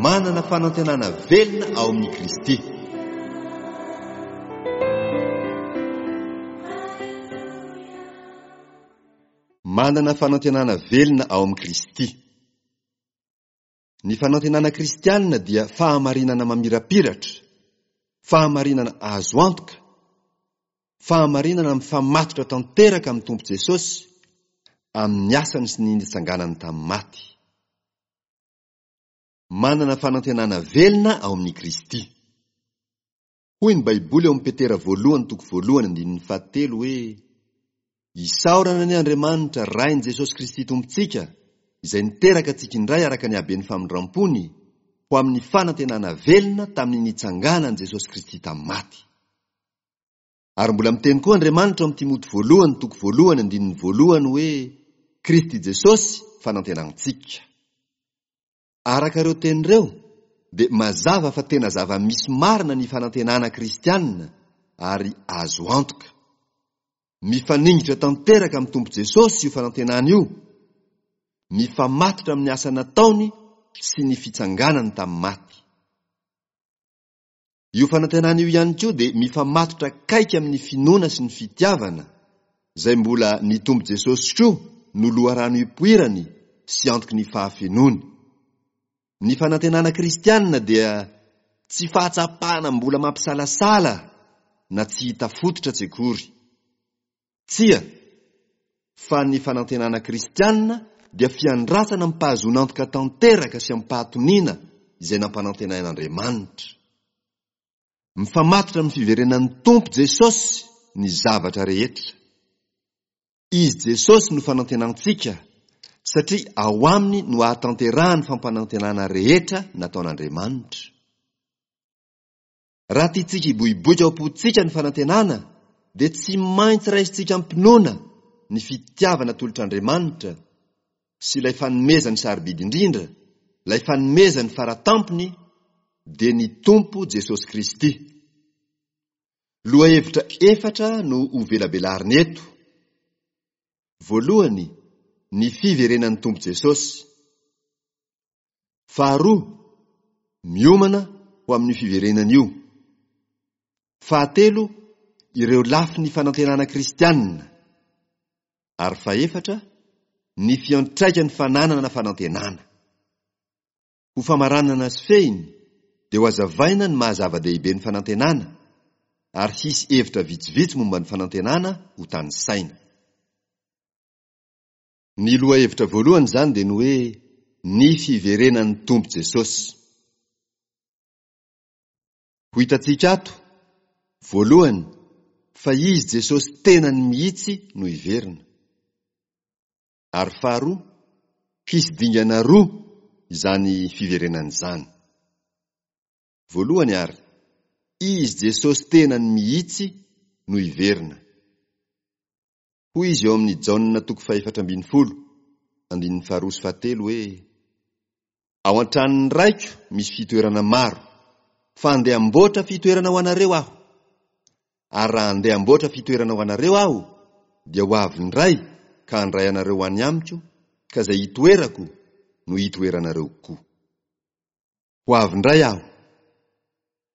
Manana fanantenana velona ao amin'i Kristy. Manana fanantenana velona ao amin'i Kristy. Ny fanantenana kristianina dia fahamarinana mamirapiratra, fahamarinana azo antoka, fahamarinana mifamatotra tanteraka amin'ny Tompo Jesosy, amin'ny asany sy ny nitsanganany tamin'ny maty. Manana fanantenana velona ao amin'i Kristy. Hoy ny Baiboly ao amin'ny Petera voalohany toko voalohany andininy fahatelo hoe, Isaorana anie Andriamanitra Rain'i Jesosy Kristy Tompontsika, izay niteraka antsika indray araka ny haben'ny famindram-pony, ho amin'ny fanantenana velona tamin'ny nitsanganan'i Jesosy Kristy tamin'ny maty. Ary mbola miteny koa Andriamanitra ao amin'ny Timoty voalohany toko voalohany andininy voalohany hoe, Kristy Jesosy fanantenantsika. Araka ireo teny ireo, dia mazava fa tena zava-misy marina ny fanantenana kristianina ary azo antoka. Mifaningitra tanteraka amin'ny Tompo Jesosy io fanantenana io, mifamatotra amin'ny asa nataony sy ny fitsanganany tamin'ny maty. Io fanantenana io ihany koa dia mifamatotra akaiky amin'ny finoana sy ny fitiavana, izay mbola ny Tompo Jesosy koa no loharano ipoirany sy antoky ny fahafenoany. Ny fanantenana kristianina dia tsy fahatsapana mbola mampisalasala na tsy hita fototra tsy akory. Tsia, fa ny fanantenana kristianina dia fiandrasana amim-pahazoan'antoka tanteraka sy amim-pahatoniana izay nampanantenain'Andriamanitra. Mifamatotra amin'ny fiverenan'ny Tompo Jesosy ny zavatra rehetra. Izy Jesosy no fanantenantsika satria ao aminy no ahatanterahan'ny fampanantenana rehetra nataon'Andriamanitra. Raha tiantsika hiboiboika ao am-pontsika ny fanantenana, dia tsy maintsy raisintsika am-pinoana ny fitiavana atolotr'Andriamanitra sy ilay fanomezany sarobidy indrindra, ilay fanomezany fara tampony, dia ny Tompo Jesosy Kristy. Lohahevitra efatra no hovelabelarina eto. Voalohany, ny fiverenan'ny Tompo Jesosy. Faharoa, miomana ho amin'io fiverenana io. Fahatelo, ireo lafiny fanantenana kristianina. Ary fahefatra, ny fiantraikan'ny fananana fanantenana. Ho famaranana sy fehiny, dia ho hazavaina ny maha zava-dehibe ny fanantenana, ary hisy hevitra vitsivitsy momba ny fanantenana ho tanisaina. Ny lohahevitra voalohany izany dia ny hoe ny fiverenan'ny Tompo Jesosy. Ho hitantsika ato, voalohany, fa Izy Jesosy tenany mihitsy no hiverina. Ary faharoa, hisy dingana roa izany fiverenana izany. Voalohany ary, Izy Jesosy tenany mihitsy no hiverina. Hoy izy ao amin'ny Jaona toko fahefatra ambinifolo, andininy faharoa sy fahatelo hoe, Ao an-tranon'ny Raiko misy fitoerana maro, fa handeha hamboatra fitoerana ho anareo Aho. Ary raha handeha hamboatra fitoerana ho anareo Aho, dia ho avy indray ka handray anareo ho any amiko, ka izay hitoerako no hitoeranareo koa. Ho avy indray Aho.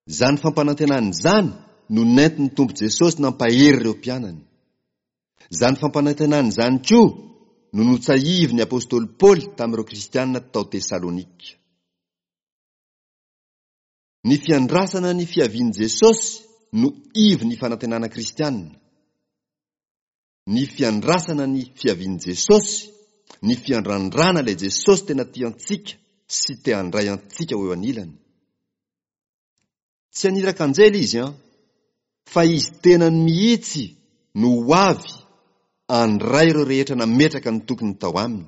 Izany fampanantenana izany no nentin'ny Tompo Jesosy nampahery ireo mpianany. Izany fampanantenana izany koa no notsahivin'ny apostoly Paoly tamin'ireo kristiana tao Tesalonika. Ny fiandrasana ny fiavian'i Jesosy no ivon'ny fanantenana kristiana. Ny fiandrasana ny fiavian'i Jesosy, ny fiandrandrana ilay Jesosy tena tia antsika sy te handray antsika ho eo anilany. Tsy haniraka anjely izy an, fa izy tenany mihitsy no ho avy handray ireo rehetra nametraka ny tokiny tao aminy.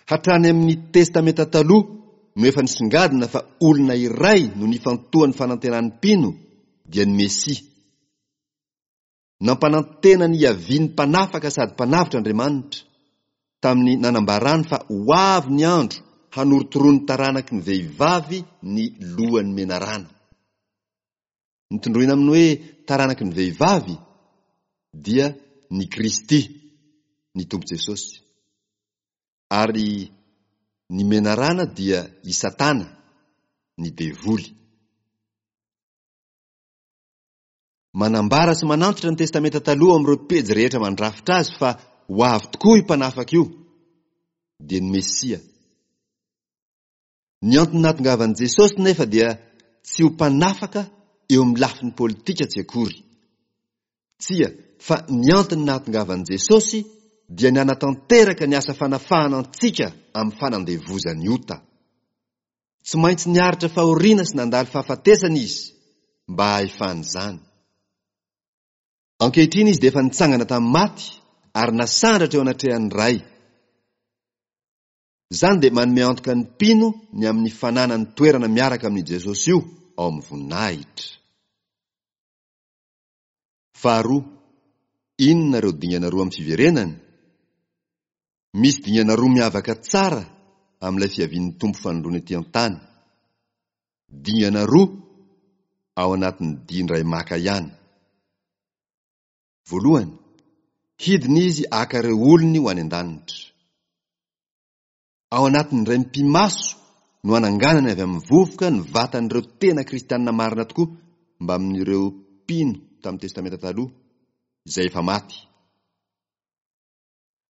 Hatrany amin'ny Testamenta Taloha no efa nisongadina fa olona iray no nifantohan'ny fanantenan'ny mpino dia ny Mesia. Nampanantena ny hiavian'ny Mpanafaka sady Mpanavotra Andriamanitra, tamin'ny nanambarany fa ho avy ny andro hanorotoroan'ny taranaky ny vehivavy ny lohan'ny menarana. Ny tondroina amin'ny hoe taranaky ny vehivavy dia ny Kristy, ny Tompo Jesosy. Ary ny menarana dia i Satana. ny devoly. Manambara sy manantitra ny Testamenta Taloha amin'ireo pejy rehetra mandrafitra azy fa ho avy tokoa io Mpanafaka io, dia ny Mesia. Ny antony nahatongavan'i Jesosy nefa dia tsy ho mpanafaka eo amin'ny lafiny politika tsy akory. Tsia, fa ny antony nahatongavan'i Jesosy dia ny hanatanteraka ny asa fanafahana antsika amin'ny fanandevozan'ny ota. Tsy maintsy niaritra fahoriana sy nandalo fahafatesana izy mba hahefana izany. Ankehitriny izy dia efa nitsangana tamin'ny maty ary nasandratra eo anatrehan'ny Ray. Izany dia manome antoka ny mpino ny amin'ny fananany toerana miaraka amin'i Jesosy io ao amin'ny voninahitra. Faharoa, inona ireo dingana roa amin'ny fiverenany? Misy dingana roa miavaka tsara amin'ilay fiavian'ny Tompo fanindroany ety an-tany. Dingana roa ao anatin'ny dia indray maka ihany. Voalohany, hidina izy haka ireo olony ho any an-danitra. Ao anatin'ny indray mipi-maso no hananganany avy amin'ny vovoka ny vatan'ireo tena kristianina marina tokoa mbamin'ireo mpino tamin'ny Testamenta Taloha izay efa maty.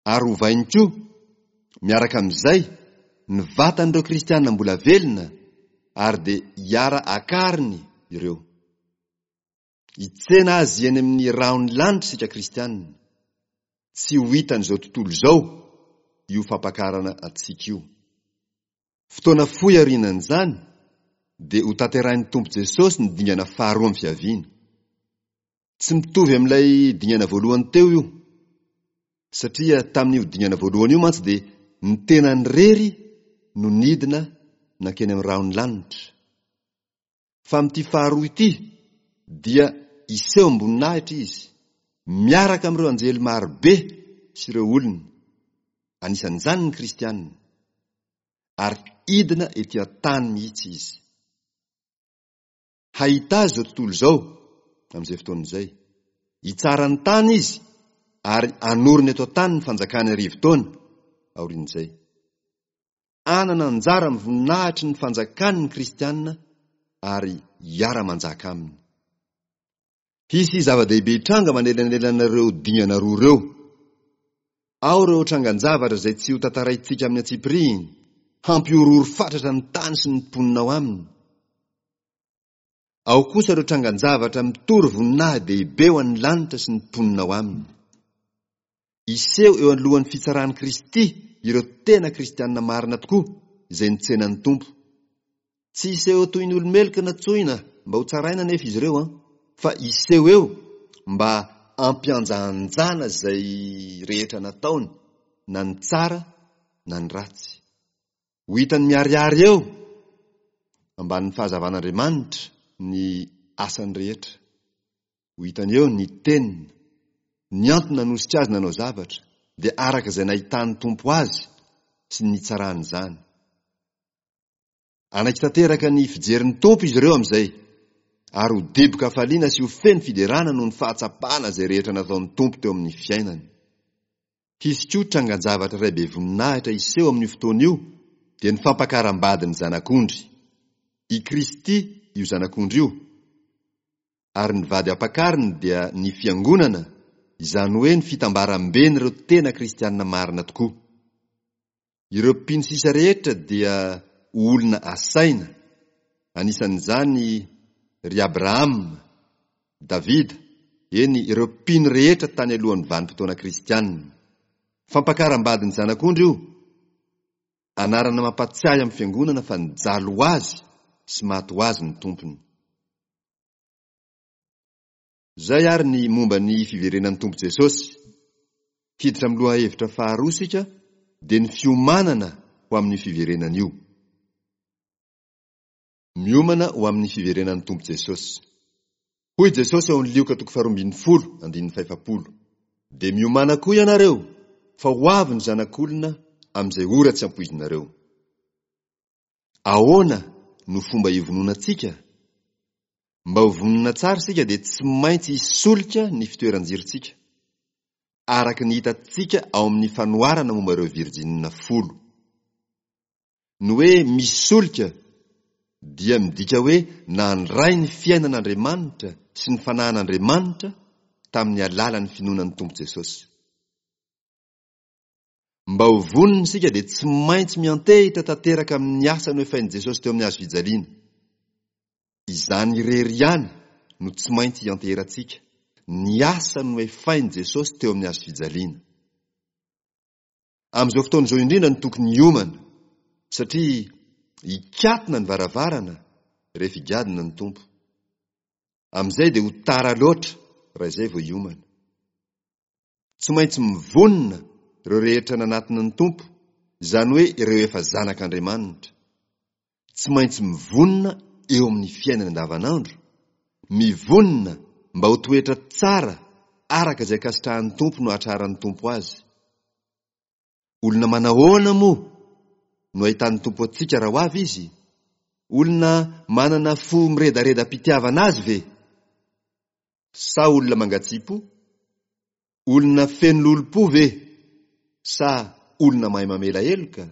Ary hovainy koa, miaraka amin'izay, ny vatan'ireo kristianina mbola velona ary dia hiara-akariny ireo. Hitsena azy eny amin'ny rahon'ny lanitra isika kristianina. Tsy ho hitan'izao tontolo izao io fampakarana antsika io. Fotoana fohy aorianan'izany dia hotanterahin'ny Tompo Jesosy ny dingana faharoa amin'ny fiaviany. Tsy mitovy amin'ilay dingana voalohany teo io. Satria tamin'io dingana voalohany io mantsy dia ny tenany irery no nidina nankeny amin'ny rahon'ny lanitra. Fa amin'ity faharoa ity dia hiseho am-boninahitra izy, miaraka amin'ireo anjely maro be sy ireo olony, anisan'izany ny kristiana, ary hidina ety an-tany mihitsy izy. Hahita azy izao tontolo izao amin'izay fotoana izay. Hitsara ny tany izy ary hanorina eto an-tany ny fanjakany arivotaona aorian'izay. Hanana anjara amin'ny voninahitry ny fanjakany ny kristiana ary hiara-manjaka aminy. Hisy zava-dehibe hitranga manelanelana ireo dingana roa ireo. Ao ireo trangan-javatra izay tsy ho tantaraintsika amin'ny antsipirihiny, hampihorohoro fatratra ny tany sy ny mponina ao aminy. Ao kosa ireo trangan-javatra mitory voninahi-dehibe ho an'ny lanitra sy ny mponina ao aminy. Hiseho eo anoloan'ny fitsaran'i Kristy ireo tena kristiana marina tokoa izay nitsena ny Tompo. Tsy hiseho eo toy ny olo-meloka natsoina mba ho tsaraina anefa izy ireo, fa hiseho eo mba hampihanjahanjana izay rehetra nataony, na ny tsara na ny ratsy. Ho hitany miharihary eo ambanin'ny fahazavan'Andriamanitra ny asany rehetra. Ho hitany eo ny teniny, ny antony nanosika azy nanao zavatra, dia araka izay nahitan'ny Tompo azy sy ny nitsarany izany. Hanaiky tanteraka ny fijerin'ny Tompo izy ireo amin'izay, ary ho diboka hafaliana sy ho feno fiderana noho ny fahatsapana izay rehetra nataon'ny Tompo teo amin'ny fiainany. Hisy koa trangan-javatra iray be voninahitra hiseho amin'io fotoana io, dia ny fampakaram-bady ny Zanak'ondry. I Kristy io Zanak'ondry io, ary ny vady ampakariny dia ny Fiangonana, izany hoe ny fitambaram-ben'ireo tena kristiana marina tokoa. Ireo mpino sisa rehetra dia ho olona asaina, anisan'izany ry Abrahama, Davida, eny, ireo mpino rehetra tany alohan'ny vanim-potoana kristiana. Fampakaram-badin'ny Zanak'ondry io, anarana mampatsiahy amin'ny fiangonana fa nijaly ho azy sy maty ho azy ny Tompony. Izay ary ny momba ny fiverenan'ny Tompo Jesosy. Hiditra amin'ny lohahevitra faharoa isika dia ny fiomanana ho amin'io fiverenana io. Miomana ho amin'ny fiverenan'ny Tompo Jesosy. Hoy Jesosy ao amin'ny Lioka toko faharoambinifolo andininy fahefapolo, Dia miomàna koa ianareo, fa ho avy ny Zanak'olona amin'izay ora tsy ampoizinareo. Ahoana no fomba hivononantsika? Mba ho vonona tsara isika dia tsy maintsy hisolika ny fitoeran-jirontsika, araka ny hitantsika ao amin'ny fanoharana momba ireo virjinina folo. Ny hoe misolika Dia midika hoe nandray ny fiainan'Andriamanitra sy ny fanahin'Andriamanitra tamin'ny alalan'ny finoana ny Tompo Jesosy. Mba ho vonona isika dia tsy maintsy miantehitra tanteraka amin'ny asa noefain'i Jesosy teo amin'ny hazo fijaliana. Izany irery ihany no tsy maintsy ianteherantsika, ny asa noefain'i Jesosy teo amin'ny hazo fijaliana. Amin'izao fotoana izao indrindra no tokony hiomana, satria hikatona ny varavarana rehefa higadona ny Tompo. Amin'izay dia ho tara loatra raha izay vao hiomana. Tsy maintsy mivonona ireo rehetra nanatona ny Tompo, izany hoe ireo efa zanak'Andriamanitra. Tsy maintsy mivonona eo amin'ny fiainany andavanandro, mivonona mba ho toetra tsara araka izay ankasitrahan'ny Tompo no hahatraran'ny Tompo azy. Olona manahoana moa no ahitan'ny Tompo antsika raha ho avy Izy? Olona manana fo miredareda-pitiavana Azy ve? Sa olona mangatsiam-po? Olona feno lolompo ve? Sa olona mahay mamela heloka?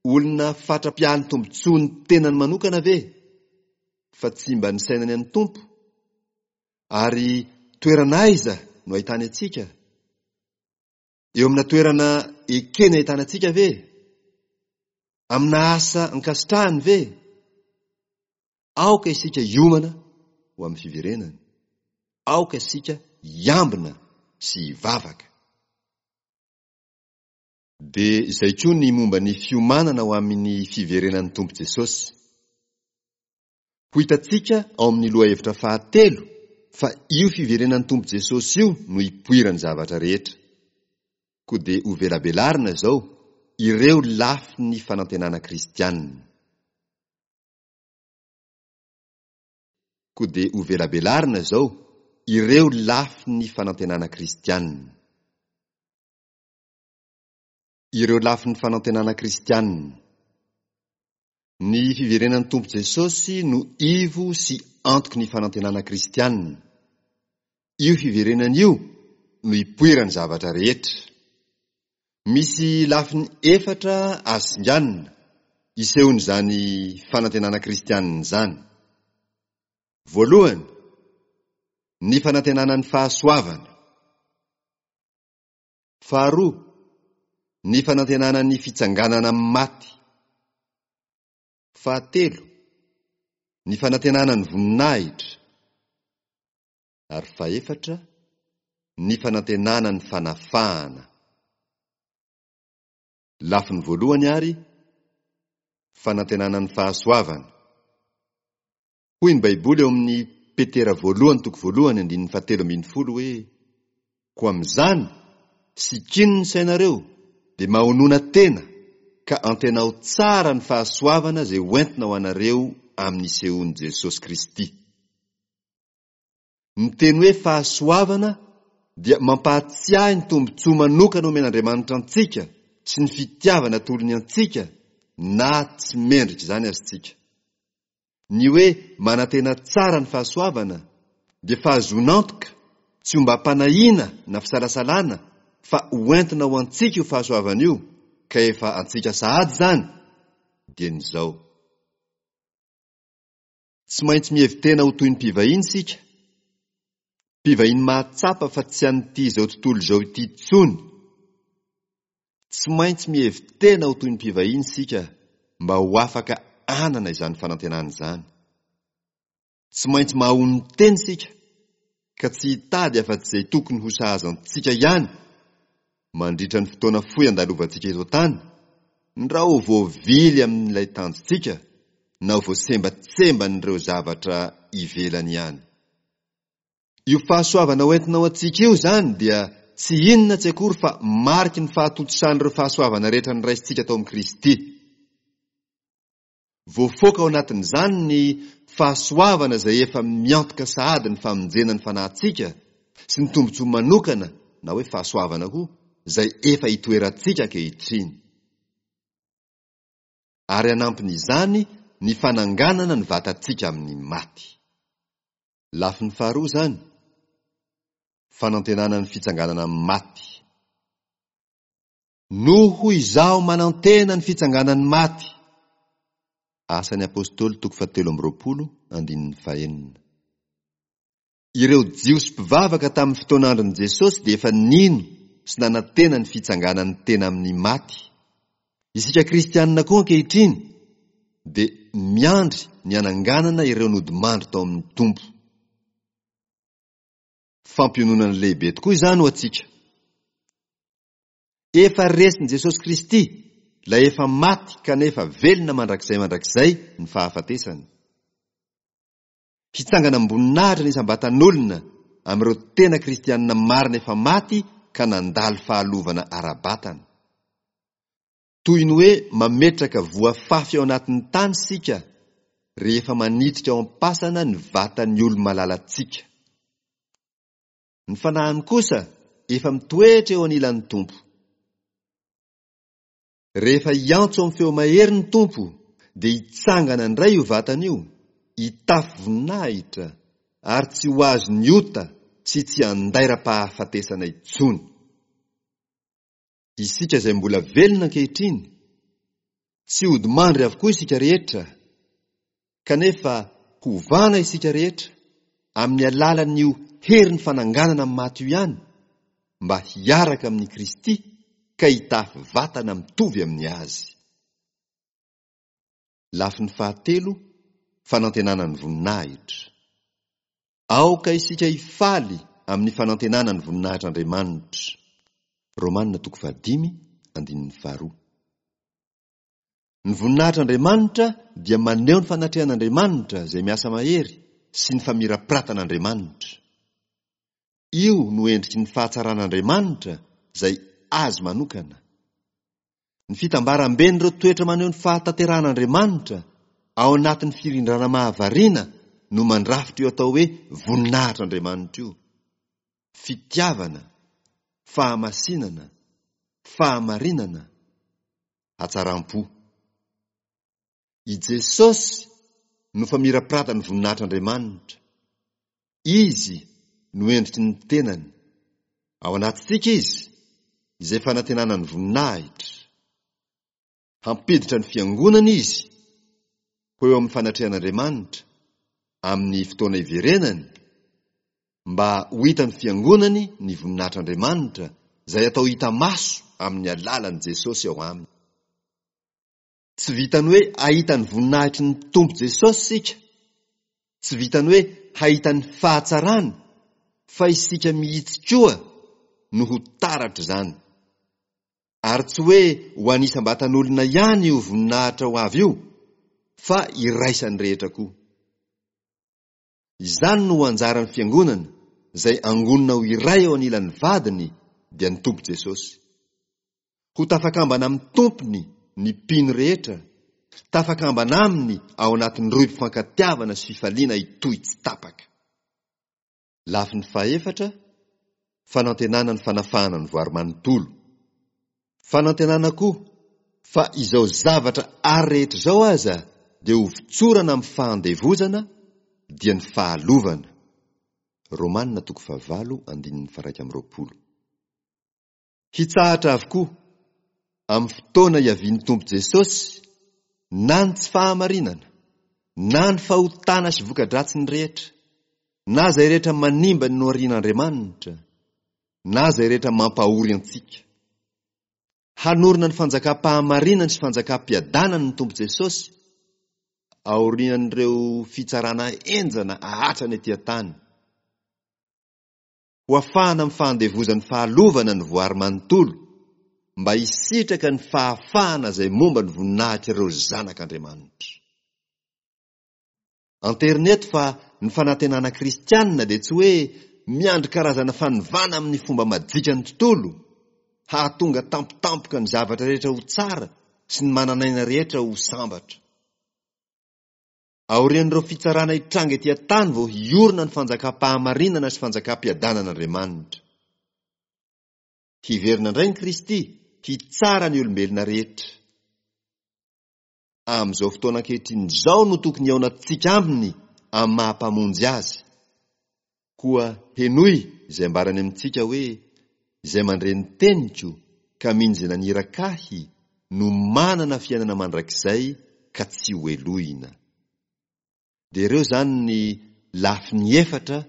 Olona fatra-piahy ny tombontsoan'ny tenany manokana ve? Fa tsy mba nisainany an'ny Tompo? Ary toerana aiza no ahitany antsika? Eo amina toerana ekeny ahitana antsika ve? Amina asa ankasitrahany ve? Aoka isika hiomana ho amin'ny fiverenany. Aoka isika hiambina sy hivavaka. Dia izay koa ny momba ny fiomanana ho amin'ny fiverenan'ny Tompo Jesosy. Ho hitantsika ao amin'ny lohahevitra fahatelo fa io fiverenan'ny Tompo Jesosy io no ipoiran'ny zavatra rehetra. Koa dia hovelabelarina izao ireo lafiny fanantenana kristianina. Koa dia hovelabelarina izao ireo lafiny fanantenana kristianina. Ireo lafiny fanantenana kristianina. Ny fiverenan'ny Tompo Jesosy no ivo sy antoky ny fanantenana kristianina. Io fiverenana io no ipoiran'ny zavatra rehetra. Misy lafiny efatra azo singanina isehoan'izany fanantenana kristianina izany. Voalohany, ny fanantenana ny fahasoavana. Faharoa, ny fanantenana ny fitsanganana amin'ny maty. Fahatelo, ny fanantenana ny voninahitra. Ary fahefatra, ny fanantenana ny fanafahana. Lafiny voalohany ary, fanantenana ny fahasoavana. Hoy ny Baiboly ao amin'ny Petera voalohany toko voalohany andininy fahatelo ambin'ny folo hoe, Koa amin'izany, sikino ny sainareo, dia mahonona tena, ka antenao tsara ny fahasoavana izay hoentina ho anareo amin'ny isehoan'i Jesosy Kristy. Ny teny hoe fahasoavana dia mampahatsiahy ny tombontsoa manokana omen'Andriamanitra antsika sy ny fitiavana atolony antsika na tsy mendrika izany aza isika. Ny hoe manantena tsara ny fahasoavana dia fahazoan'antoka tsy ombam-panahiana na fisalasalana fa hoentina ho antsika io fahasoavana io ka efa antsika sahady izany dieny izao. Tsy maintsy mihevi-tena ho toy ny mpivahiny isika, mpivahiny mahatsapa fa tsy an'ity izao tontolo izao ity intsony. Tsy maintsy mihevi-tena ho toy ny mpivahiny isika mba ho afaka hanana izany fanantenana izany. Tsy maintsy mahaonon-tena isika ka tsy hitady afa-tsy izay tokony ho sahaza antsika ihany mandritra ny fotoana fohy andalovantsika eto an-tany, ndrao ho voavily amin'ilay tanjontsika na ho voasembatsemban'ireo zavatra ivelany ihany. Io fahasoavana hoentina ho antsika io izany dia tsy inona tsy akory fa mariky ny fahatontosan'ireo fahasoavana rehetra noraisintsika tao amin'i Kristy. Voafoaka ao anatin'izany ny fahasoavana izay efa miantoka sahady ny famonjena ny fanahintsika sy ny tombontsoa manokana na hoe fahasoavana koa izay efa itoerantsika ankehitriny. Ary hanampin'izany ny fananganana ny vatantsika amin'ny maty. Lafiny faharoa izany, fanantenana ny fitsanganana amin'ny maty. Noho izaho manantena ny fitsanganan'ny maty. Asan'ny Apostoly toko fahatelo amby 20 andininy fahenina. Ireo Jiosy mpivavaka tamin'ny fotoan'andron'i Jesosy dia efa nino sy nanantena ny fitsanganan'ny tena amin'ny maty. Isika kristianina koa ankehitriny dia miandry ny hananganana ireo nodimandry tao amin'ny Tompo. Fampiononana lehibe tokoa izany ho antsika. Efa resin'i Jesosy Kristy, ilay efa maty kanefa velona mandrakizay mandrakizay ny fahafatesana. Hitsangana am-boninahitra ny isam-batan'olona amin'ireo tena kristianina marina efa maty ka nandalo fahalovana ara-batana. Toy ny hoe mametraka voa fafy ao anatin'ny tany isika rehefa manitrika ao am-pasana ny vatan'ny olo-malalantsika. Ny fanahiny kosa efa mitoetra eo anilan'ny Tompo. Rehefa hiantso amin'ny feo mahery ny Tompo, dia hitsangana indray io vatana io, hitafy voninahitra, ary tsy ho azon'ny ota sy tsy handairam-pahafatesana intsony. Isika izay mbola velona ankehitriny, tsy hodimandry avokoa isika rehetra, kanefa hovana isika rehetra amin'ny alalan'io herin'ny fananganana amin'ny maty io ihany, mba hiaraka amin'i Kristy ka hitafy vatana mitovy amin'ny Azy. Lafiny fahatelo, fanantenana ny voninahitra. Aoka isika hifaly amin'ny fanantenana ny voninahitr'Andriamanitra. Romana toko fahadimy, andininy faharoa. Ny voninahitr'Andriamanitra dia maneho ny fanatrehan'Andriamanitra izay miasa mahery sy ny famirapiratan'Andriamanitra. Io no endriky ny fahatsaran'Andriamanitra izay Azy manokana. Ny fitambaramben'ireo toetra maneho ny fahatanterahan'Andriamanitra ao anatin'ny firindrana mahavariana no mandrafitra io atao hoe voninahitr'Andriamanitra io. Fitiavana, fahamasinana, fahamarinana, hatsaram-po. I Jesosy no famirapiratan'ny voninahitr'Andriamanitra. Izy no endriky ny tenany. Ao anatintsika Izy, izay fanantenana ny voninahitra. Hampiditra ny fiangonana Izy ho eo amin'ny fanatrehan'Andriamanitra amin'ny fotoana iverenany, mba ho hitan'ny fiangonany ny voninahitr'Andriamanitra izay atao hita maso amin'ny alalan'i Jesosy ao aminy. Tsy vitan'ny hoe hahita ny voninahitry ny Tompo Jesosy isika, tsy vitan'ny hoe hahita ny fahatsarany, fa isika mihitsy koa no ho taratr'izany. Ary tsy hoe ho an'ny isam-batan'olona ihany io voninahitra ho avy io, fa iraisan'ny rehetra koa. Izany no ho anjaran'ny Fiangonana, izay angonina ho iray eo anilan'ny Vadiny, dia ny Tompo Jesosy. Ho tafakambana amin'ny Tompony ny mpino rehetra, tafakambana Aminy ao anatin'ny rohim-pifankatiavana sy fifaliana hitohy tsy tapaka. Lafiny fahefatra, fanantenana ny fanafahana ny voary manontolo. Fanantenana koa fa izao zavatra ary rehetra izao aza dia ho votsorana amin'ny fahandevozana dia ny fahalovana. Romana toko fahavalo andininy faha-21. Hitsahatra avokoa, amin'ny fotoana hiavian'ny Tompo Jesosy, na ny tsy fahamarinana, na ny fahotana sy voka-dratsiny rehetra, na izay rehetra manimba ny noharian'Andriamanitra, na izay rehetra mampahory antsika. Hanorina ny fanjakam-pahamarinany sy fanjakam-piadanany ny Tompo Jesosy, aorian'ireo fitsarana henjana ahatrany ety an-tany. Ho afahana amin'ny fahandevozan'ny fahalovana ny voary manontolo, mba hisitraka ny fahafahana izay momba ny voninahitr'ireo zanak'Andriamanitra. Anterina eto fa ny fanantenana kristianina dia tsy hoe miandry karazana fanovana amin'ny fomba majika ny tontolo, hahatonga tampotampoka ny zavatra rehetra ho tsara sy ny manan'aina rehetra ho sambatra. Aorian'ireo fitsarana hitranga ety an-tany vao hiorina ny fanjakam-pahamarinana sy fanjakam-piadanan'Andriamanitra. Hiverina indray ny Kristy hitsara ny olombelona rehetra. Amin'izao fotoana ankehitriny izao no tokony hihaonantsika aminy amin'ny maha-Mpamonjy azy. Koa henoy izay ambarany amintsika hoe, Izay mandre ny teniko ka mino izay naniraka ahy no manana fiainana mandrakizay. ka tsy hohelohina. Dia ireo izany ny lafiny efatra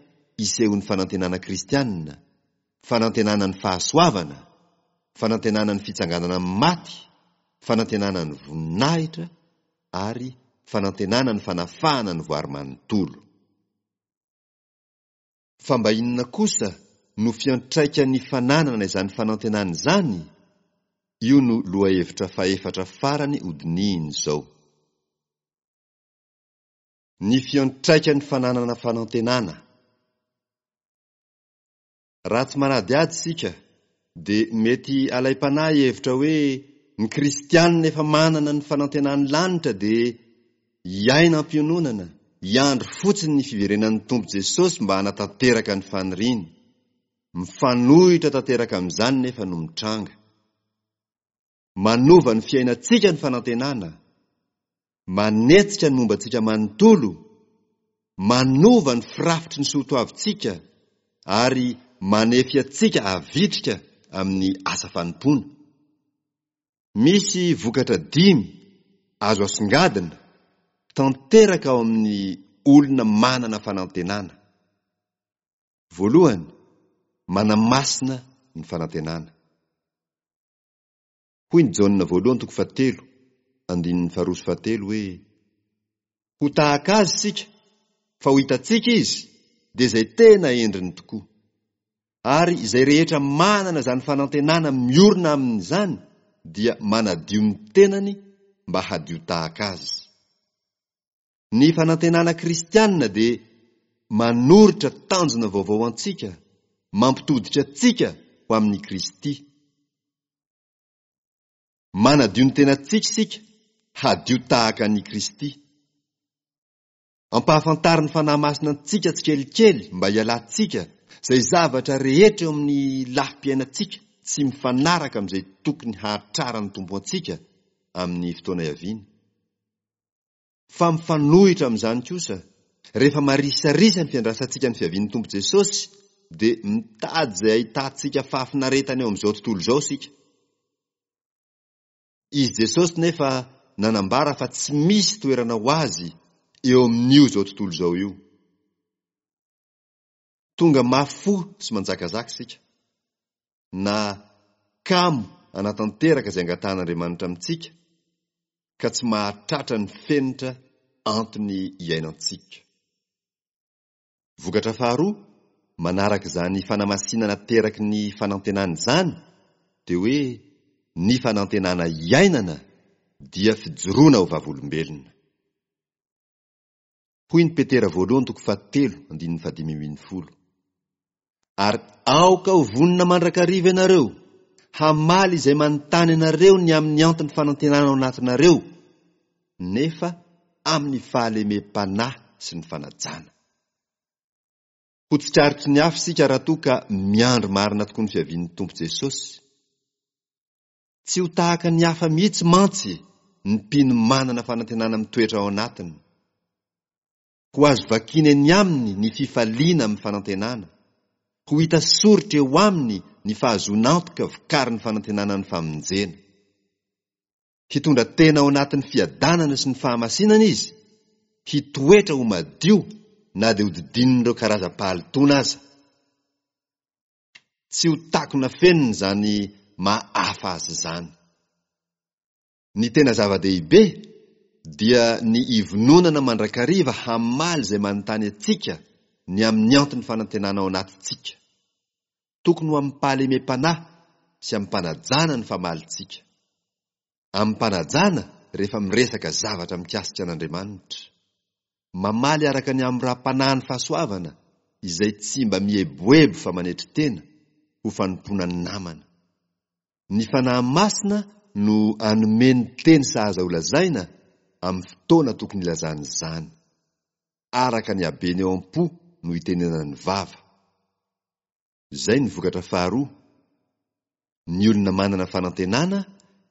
isehon'ny fanantenana kristianina, fanantenana ny fahasoavana, fanantenana ny fitsanganana amin'ny maty, fanantenana ny voninahitra ary fanantenana ny fanafahana ny voary manontolo. Fa mba inona kosa no fiantraikan'ny fananana izany fanantenana izany? Io no lohahevitra fahefatra farany hodinihina izao. Ny fiantraikan'ny fananana fanantenana. Raha tsy manadihady isika dia mety alaim-panahy hihevitra hoe ny kristianina efa manana ny fanantenan'ny lanitra dia hiaina am-piononana, hiandry fotsiny ny fiverenan'ny Tompo Jesosy mba hanatanteraka ny faniriany. Mifanohitra tanteraka amin'izany nefa no mitranga. Manova ny fiainantsika ny fanantenana, manetsika ny momba antsika manontolo, manova ny firafitry ny soatoavintsika ary manefy antsika havitrika amin'ny asa fanompoana. Misy vokatra dimy azo asongadina tanteraka ao amin'ny olona manana fanantenana. Voalohany, manamasina ny fanantenana. Hoy ny Jaona voalohany toko fahatelo, andininy faharoa sy fahatelo hoe, Ho tahaka azy isika, fa ho hitantsika izy, dia izay tena endriny tokoa. Ary izay rehetra manana izany fanantenana miorina aminy izany dia manadio ny tenany mba hadio tahaka azy. Ny fanantenana kristianina dia manoritra tanjona vaovao ho antsika, mampitodika antsika ho amin'i Kristy. Manadio ny tenantsika isika hadio tahaka an'i Kristy. Ampahafantarin'ny Fanahy Masina antsika tsikelikely mba hialantsika izay zavatra rehetra eo amin'ny lafim-piainantsika tsy mifanaraka amin'izay tokony hahatraran'ny Tompo antsika amin'ny fotoana ihaviany. Fa mifanohitra amin'izany kosa, rehefa marisarisa ny fiandrasantsika ny fiavian'ny Tompo Jesosy, dia mitady izay ahitantsika fahafinaretana eo amin'izao tontolo izao isika. Izy Jesosy nefa nanambara fa tsy misy toerana ho azy eo amin'io izao tontolo izao io. Tonga mafy fo sy manjakazaka isika, na kamo hanatanteraka izay angatahan'Andriamanitra amintsika, ka tsy mahatratra ny fenitra antony iainantsika. Vokatra faharoa manaraka izany fanamasinana ateraky ny fanantenana izany dia hoe ny fanantenana iainana dia fijoroana ho vavolombelona. Hoy ny Petera voalohany toko fahatelo andininy fahadimy ambin'ny folo. Ary aoka ho vonona mandrakariva ianareo hamaly izay manontany anareo ny amin'ny anton'ny fanantenana ao anatinareo, nefa amin'ny fahalemem-panahy sy ny fanajana. Ho tsikaritry ny hafa isika raha toa ka miandry marina tokoa ny fiavian'ny Tompo Jesosy. Tsy ho tahaka ny hafa mihitsy mantsy ny mpino manana fanantenana mitoetra ao anatiny. Ho azo vakiana eny aminy ny fifaliana amin'ny fanantenana. Ho hita soritra eo aminy ny fahazoan'antoka vokarin'ny fanantenana ny famonjena. Hitondra tena ao anatin'ny fiadanana sy ny fahamasinana izy, hitoetra ho madio na dia hodidinin'ireo karazam-pahalotoana aza. Tsy ho takona fenina izany maha hafa azy izany. Ny tena zava-dehibe dia ny hivononana mandrakariva hamaly izay manontany antsika ny amin'ny anton'ny fanantenana ao anatintsika. Tokony ho amim-pahalemem-panahy sy amim-panajana ny famalintsika. Amim-panajana rehefa miresaka zavatra mikasika an'Andriamanitra. Mamaly araka ny hamoram-panahin'ny fahasoavana izay tsy mba mieboebo fa manetry tena, ho fanompoana ny namana. Ny Fanahy Masina no hanome ny teny sahaza holazaina amin'ny fotoana tokony hilazana izany. Araka ny habeny ao am-po no itenenan'ny vava. Izay ny vokatra faharoa. Ny olona manana fanantenana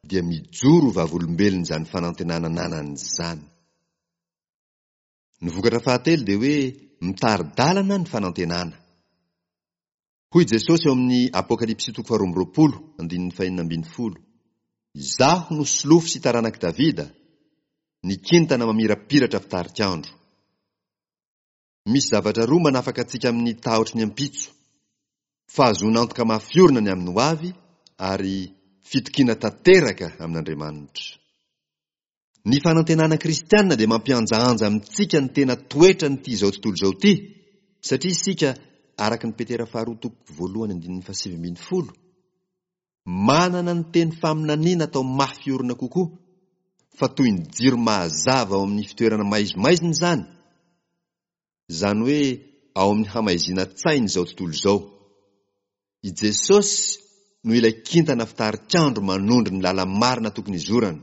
dia mijoro ho vavolombelon'izany fanantenana ananany izany. Ny vokatra fahatelo dia hoe mitari-dalana ny fanantenana. Hoy Jesosy ao amin'ny Apokalypsy toko faharoa amby roapolo, andininy fahenina ambin'ny folo, Izaho no solofo sy taranak'i Davida. Ny kintana mamirapiratra fitarik'andro. Misy zavatra roa manafaka antsika amin'ny tahotry ny ampitso, fahazoana antoka mafy orina ny amin'ny hoavy ary fitokiana tanteraka amin'Andriamanitra. Ny fanantenana kristiana dia mampihanjahanja amintsika ny tena toetran'ity izao tontolo izao ity, satria isika, araka ny Petera faharoa toko voalohany andininy fahasivy ambin'ny folo, manana ny teny faminaniana atao mafy orina kokoa, fa toy ny jiro mahazava ao amin'ny fitoerana maizimaizina izany, izany hoe ao amin'ny hamaizinan-tsain'izao tontolo izao. I Jesosy no ilay kintana fitarik'andro manondro ny lala-marina tokony hizorana.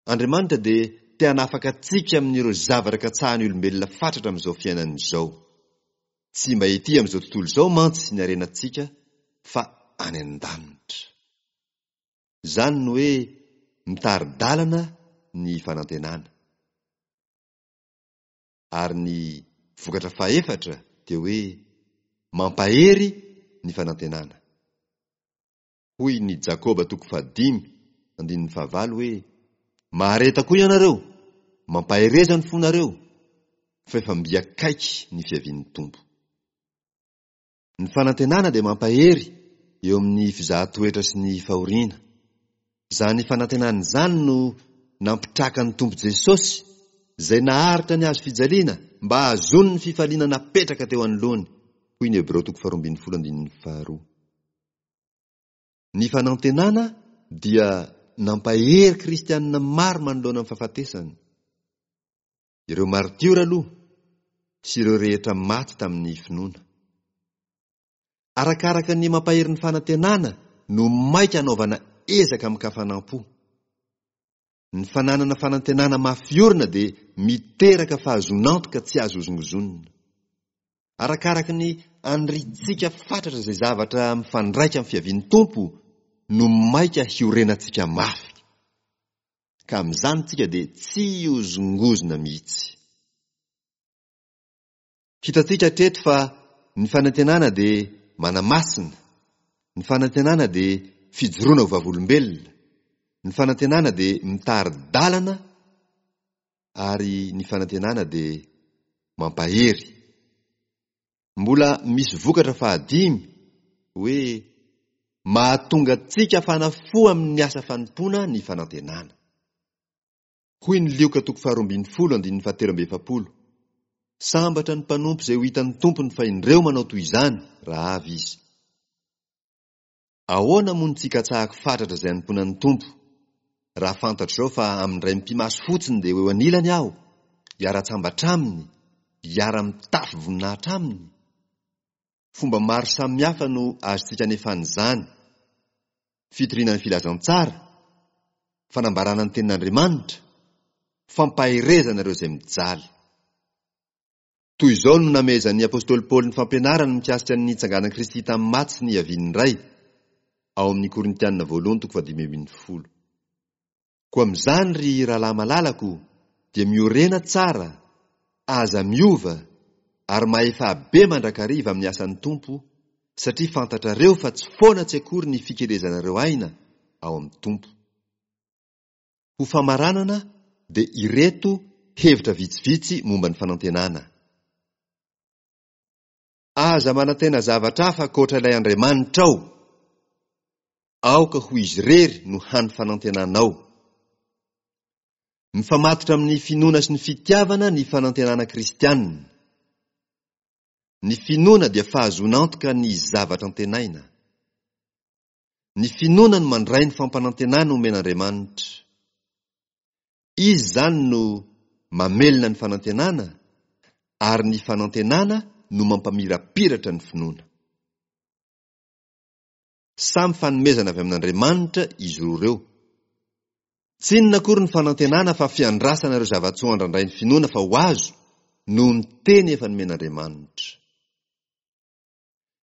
Andriamanitra dia te hanafaka antsika amin'ireo zavatra katsahan'ny olombelona fatratra amin'izao fiainana izao. Tsy mba ety amin'izao tontolo izao mantsy ny harenantsika fa any an-danitra. Izany no hoe mitari-dalana ny fanantenana. Ary ny vokatra fahefatra dia hoe mampahery ny fanantenana. Hoy ny Jakoba toko fahadimy andininy fahavalo hoe, Mahareta koa ianareo, mampahereza ny fonareo, fa efa mby akaiky ny fiavian'ny Tompo. Ny fanantenana dia mampahery eo amin'ny fizahan-toetra sy ny fahoriana. Izany fanantenana izany no nampitraka ny Tompo Jesosy, izay naharitra ny hazo fijaliana mba hahazoany ny fifaliana napetraka teo anoloany, hoy ny Hebreo toko faharoa ambin'ny folo andininy faharoa. Ny fanantenana dia nampahery kristianina maro manoloana ny fahafatesana. Ireo maritiora aloha sy ireo rehetra maty tamin'ny finoana. Arakaraka ny mampahery ny fanantenana no maika anaovana ezaka amin-kafanam-po. Ny fananana fanantenana mafy orina dia miteraka fahazoan'antoka tsy azo hozongozonina. Arakaraka ny aniriantsika fatratra izay zavatra mifandraika amin'ny fiavian'ny Tompo no maika hiorenantsika mafy. Ka amin'izany tsika dia tsy hihozongozona mihitsy. Hitantsika hatreto fa ny fanantenana dia manamasina, ny fanantenana dia fijoroana ho vavolombelona, ny fanantenana dia mitari-dalana ary ny fanantenana dia mampahery. Mbola misy vokatra fahadimy hoe mahatonga antsika hafana fo amin'ny asa fanompoana ny fanantenana. Hoy ny Lioka toko faharoa ambin'ny folo andininy fahatelo amby efapolo, Sambatra ny mpanompo izay ho hitan'ny tompony fa indreo manao toy izany raha avy izy. Ahoana moa no tsy hikatsahako fatratra izay hanompoana ny Tompo, raha fantatro izao fa amin'indray mipi-maso fotsiny dia ho eo anilany aho, hiara-tsambatra aminy, hiara-mitafy voninahitra aminy? Fomba maro samihafa no azontsika anefana izany, fitoriana ny filazantsara, fanambarana ny tenin'Andriamanitra, fampaherezana ireo izay mijaly. Toy izao no namehezan'ny apostoly Paoly ny fampianarany mikasika ny nitsanganan'i Kristy tamin'ny maty sy ny hiaviany indray, ao amin'ny Korintiana voalohany toko fahadimy ambin'ny folo. Koa amin'izany ry rahalahy malalako dia miorena tsara, aza miova, ary mahefà be mandrakariva amin'ny asan'ny Tompo, satria fantatrareo fa tsy foana tsy akory ny fikelezanareo aina ao amin'ny Tompo. Ho famaranana dia ireto hevitra vitsivitsy momba ny fanantenana. Aza manantena zavatra hafa ankoatra ilay Andriamanitrao. Aoka ho Izy irery no hany fanantenanao. Mifamatotra amin'ny finoana sy ny fitiavana ny fanantenana kristianina. Ny finoana dia fahazoana antoka ny zavatra antenaina. Ny finoana no mandray ny fampanantenana omen'Andriamanitra. Izy izany no mamelona ny fanantenana ary ny fanantenana no mampamirapiratra ny finoana. Samy fanomezana avy amin'Andriamanitra izy roa ireo. Tsy inona akory ny fanantenana fa fiandrasana ireo zava-tsoa andrandrain'ny finoana fa ho azo noho ny teny efa nomen'Andriamanitra.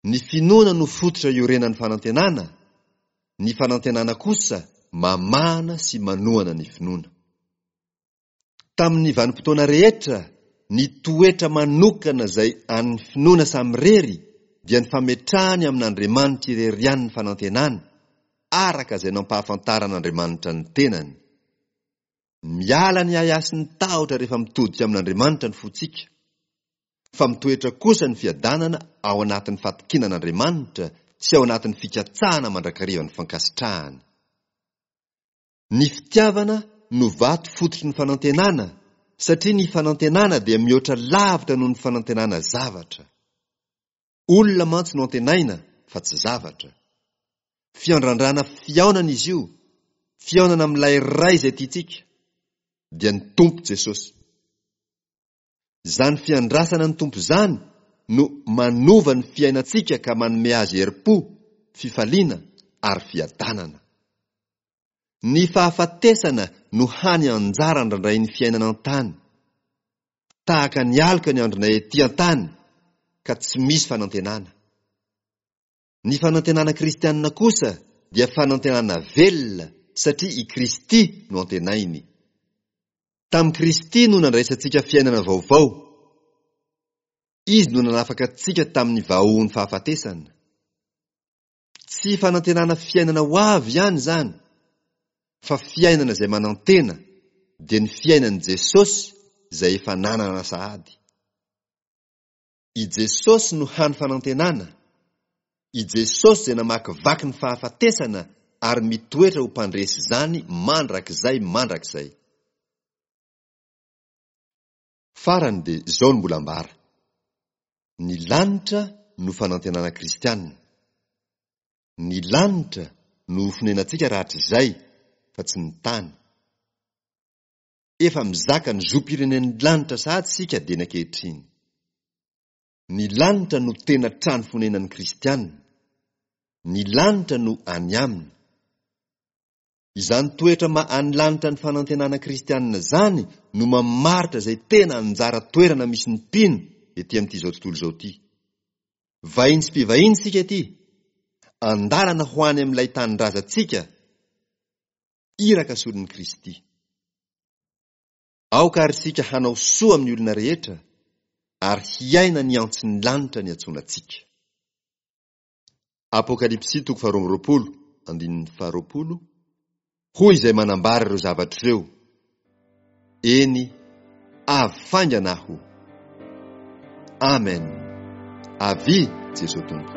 Ny finoana no fototra iorenan'ny fanantenana, ny fanantenana kosa mamahana sy manohana ny finoana. Tamin'ny vanim-potoana rehetra, ny toetra manokana izay an'ny finoana samirery dia ny fametrahany amin'Andriamanitra irery ihany ny fanantenany, araka izay nampahafantaran'Andriamanitra ny tenany. Miala ny ahiahy sy ny tahotra rehefa mitodika amin'Andriamanitra ny fontsika, fa mitoetra kosa ny fiadanana ao anatin'ny fatokiana an'Andriamanitra sy ao anatin'ny fikatsahana mandrakariva ny fankasitrahany. Ny fitiavana no vato fototry ny fanantenana, satria ny fanantenana dia mihoatra lavitra noho ny fanantenana zavatra. Olona mantsy no antenaina fa tsy zavatra. Fiandrandrana fihaonana izy io, fihaonana amin'ilay Ray izay tiantsika, dia ny Tompo Jesosy. Izany fiandrasana ny Tompo izany no manova ny fiainantsika ka manome azy herim-po, fifaliana ary fiadanana. Ny fahafatesana no hany anjara andrandrain'ny fiainana an-tany. Tahaka ny aloka ny andronay ety an-tany ka tsy misy fanantenana. Ny fanantenana kristianina kosa dia fanantenana velona satria i Kristy no antenainy. Tamin'i Kristy no nandraisantsika fiainana vaovao. Izy no nanafaka antsika tamin'ny vahohon'ny fahafatesana. Tsy fanantenana fiainana ho avy ihany izany, fa fiainana izay manantena, dia ny fiainan'i Jesosy izay efa nanana sahady. I Jesosy no hany fanantenana, i Jesosy izay namakivaky ny fahafatesana ary mitoetra ho mpandresy izany mandrakizay mandrakizay. Farany dia izao no mbola ambara, Ny lanitra no fanantenana kristiana. Ny lanitra no ho fonenantsika rahatrizay fa tsy ny tany. Efa mizaka ny zom-pirenen'ny lanitra sahady isika dieny ankehitriny. Ny lanitra no tena trano fonenan'ny kristiana. Ny lanitra no any aminy. Izany toetra maha any lanitra ny fanantenana kristianina izany no mamaritra izay tena anjara toerana misy ny mpino ety amin'ity izao tontolo izao ity. Vahiny sy mpivahiny isika ety, andalana ho any amin'ilay tanindrazantsika, iraka solon'i Kristy. Aoka àry isika hanao soa amin'ny olona rehetra ary hiaina ny antson'ny lanitra niantsoana antsika. Apokalypsy toko faharoa amby roapolo, andininy faharoapolo, Hoy izay manambara ireo zavatra ireo, Eny, avy faingana aho. Amen. Avia, Jesoa Tompo.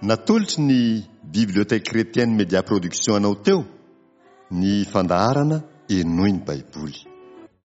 Natolotry ny Bibliothèque Chrétienne Media Production anao teo ny fandaharana Henoy ny Baiboly.